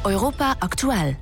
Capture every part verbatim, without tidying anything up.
Europa aktuell.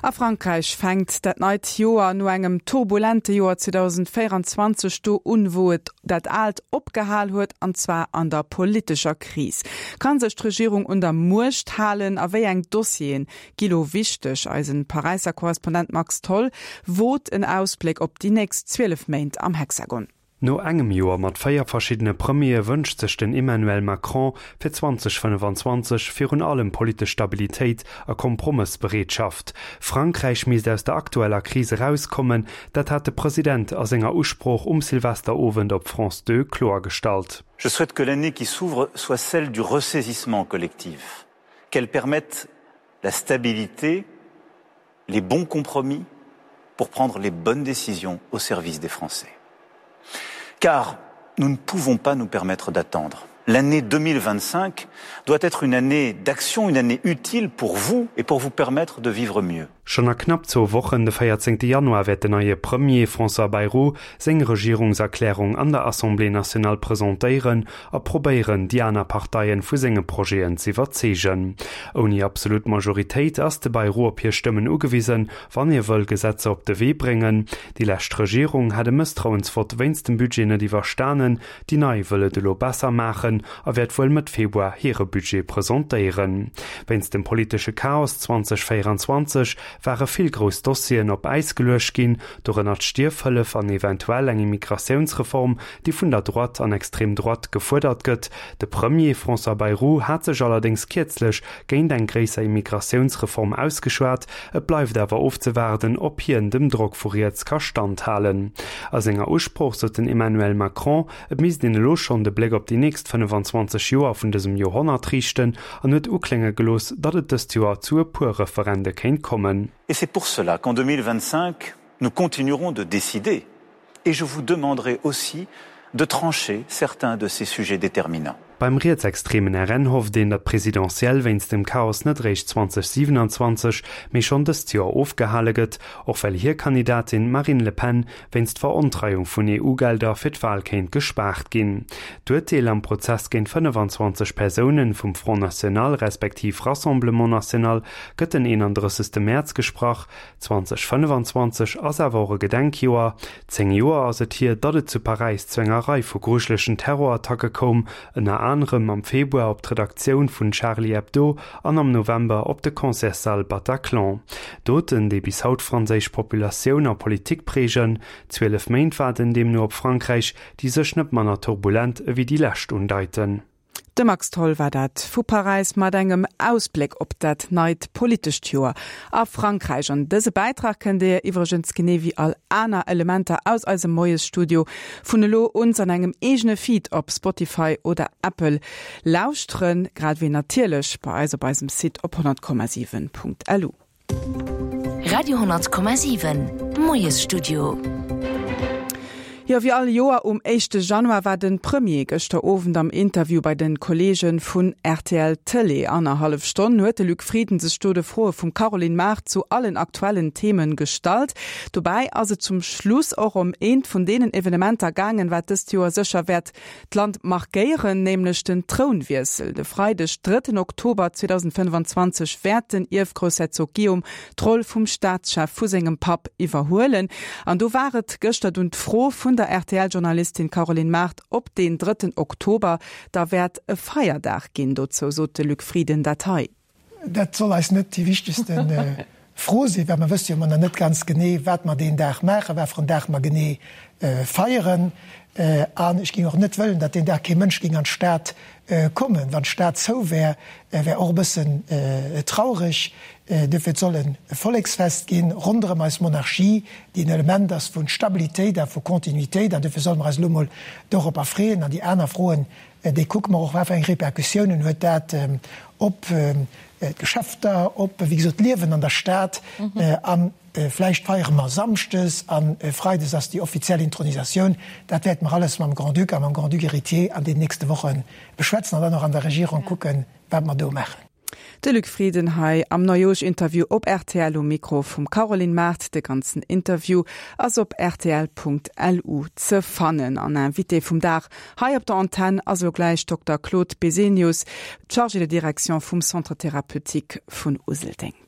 A Frankräich fänkt dat neit Joer no engem turbulente Joer zweedausendvéieranzwanzeg do un, wou et dat aalt opgehal huet, an zwar an der politescher Kris. Kann sech d'Regierung un der Muecht halen a wéi eng Dossieren gi lo wichteg? Eisen Paräisser Korrespondent Max Tholl wot en Ausbléck op déi nächst zwielef Méint am Hexagon. No engem Joer mat véier verschiddene Premiere wënscht sech den Emmanuel Macron fir zweedausendfënnefanzwanzeg virun allem politesch Stabilitéit a Kompromëssbereetschaft. Frankräich misst aus der aktueller Kris erauskommen, dat hat de President a senger Usprooch um Silvesterowend op France Deux kloergestallt. Je souhaite que l'année qui s'ouvre soit celle du ressaisissement collectif, qu'elle permette la stabilité, les bons compromis pour prendre les bonnes décisions au service des Français. Car nous ne pouvons pas nous permettre d'attendre. L'année deux mille vingt-cinq doit être une année d'action, une année utile pour vous et pour vous permettre de vivre mieux. Schonn a knapp zwou Wochen, de véierzéngte Januar, wäert den neie Premier François Bayrou seng Regierungserklärung an der Assemblée nationale presentéieren a probéieren, déi aner Parteien vu senge Projeten z'iwwerzeegen. Ouni absolut Majoritéit ass de Bayrou op hir Stëmmen ugewisen, wann hie wëll Gesetzer op de Wee bréngen. Déi lescht Regierung hat e Mësstrauensvott wéinst dem Budget net iwwerstanen, déi nei wëll et elo besser maachen a wäert wuel Mëtt Februar hire Budget presentéieren. Wéinst dem politesche Chaos zweedausendvéieranzwanzeg ware vill grouss Dossieren op Äis geluecht ginn, dorënner d'Stierfhëllef an eventuell eng Immigratiounsreform, déi vun der Droite an Extrême Droite gefuerdert gëtt. De Premier François Bayrou hat sech allerdéngs kierzlech géint eng gréisser Immigratiounsreform ausgeschwat. Et bleift awer ofzewaarden, ob hien dem Drock vu riets ka standhalen. A senger Usprooch sot den Emmanuel Macron, et misst een elo schonn de Bléck op déi nächst fënnefanzwanzeg Joer vun dësem Joerhonnert riichten an huet uklénge gelooss, datt et dëst Joer zu e puer Referende kéint kommen. Et c'est pour cela qu'en deux mille vingt-cinq, nous continuerons de décider et je vous demanderai aussi de trancher certains de ces sujets déterminants. Beim rietsextremen R N hofft een, datt d'Presidentielle wéinst dem Chaos net réischt zweedausendsiwenanzwanzeg, mee schonn dëst Joer ofgehale gëtt, och well hir Kandidatin Marine Le Pen wéinst Verontreiung vun E U-Gelder fir d'Wal kéint gespaart ginn. D'Urteel am Prozess géint fënnefanzwanzeg Persounen vum Front National respektiv Rassemblement National gëtt den eenandrëssegste Mäerz gesprach. zweedausendfënnefanzwanzeg ass awer och e Gedenkjoer. Zéng Joer ass et hier, datt et zu Paräis zu enger Rei vu grujelegen Terrorattacke koum, ënner anerem am Februar op d'Redaktioun vun Charlie Hebdo an am November op de Concertssall Bataclan. Doten, déi bis haut franséisch Populatioun a Politik prägen, zwielef Méint waarden deemno op Frankräich, déi sech net manner turbulent ewéi déi lescht undeiten. De Max Tholl war dat vu Paräis mat engem Ausbléck op dat neit politescht Joer a Frankräich. An dëse Bäitrag kënnt Dir iwwregens genee wéi all aner Elementer aus eisem Moiesstudio vun elo uns an engem eegene Feed op Spotify oder Apple lauschteren, grad wéi natierlech bei eis op eisem Site op honnert Komma siwen Punkt L U. Radio honnert Komma siwen Moiesstudio. Jo, wéi all Joer um éischte Januar war den Premier gëschter Owend am Interview bei den Kollegen vun R T L Télé. Annerhallef Stonn huet de Luc Frieden sech do de Froe vum Caroline Mart zu allen aktuellen Themen gestallt. Dobäi ass et zum Schluss och ëm eent vun deenen Evenementer gaangen, wat dëst Joer sécher wäert d'Land markéieren, nämlech den Trounwiessel. De Freideg, drëtten Oktober zweedausendfënnefanzwanzeg wäert den Ierfgroussherzog Guillaume d'Roll vum Staatschef vu sengem Papp iwwerhuelen. An do war et gëschter dunn d'Fro vun der R T L-Journalistin Caroline Mart, ob den drëtten Oktober da wäert e Feierdag ginn. Dozou sot de Luc Frieden dat hei. Dat soll eis net déi wichtegsten, äh, Fro sinn, well mer wësse jo immer net ganz genee, wat mer deen Dag maachen, wat fir en Dag mer genee, äh, feieren. Äh, an ech ging och net wëllen, datt deen Dag kee Mënsch ging an d'Stad, äh, kommen. Wann d'Stad zou wär, äh, wär och e bëssen, äh, traurig. Äh, dofir soll en Volleksfest ginn ronderëm eis Monarchie, déi en Element ass vun Stabilitéit a vu Kontinuitéit, an dofir solle mer eis lo mol dorop erfreeën. An déi aner Froen, äh, déi kucke mer och, wat fir eng Repercussiounen huet dat, ähm, op, ähm, d'Geschäfter, op, wéi gesot, d'Liewen an der Stad. Mhm. Äh, an, äh, vläicht feiere mer Samschdes an, äh, Freides ass déi offiziell Intronisatioun. Dat wäert mer alles mam Grand-Duc a mam Grand-Duc héritier an den nächste Wochen beschwätzen an dann och an der Regierung Ja. kucken, wat mer do maachen. De Luc Frieden hei am Neijooschinterview op rtl um Mikro vum Caroline Mart. De ganzen Interview ass op rtl.lu ze fannen. An Invité vum Dag hei op der Antenn ass elo gläich Dokter Claude Besenius, Chargé de Direction vum Centre Thérapeutique vun Useldeng.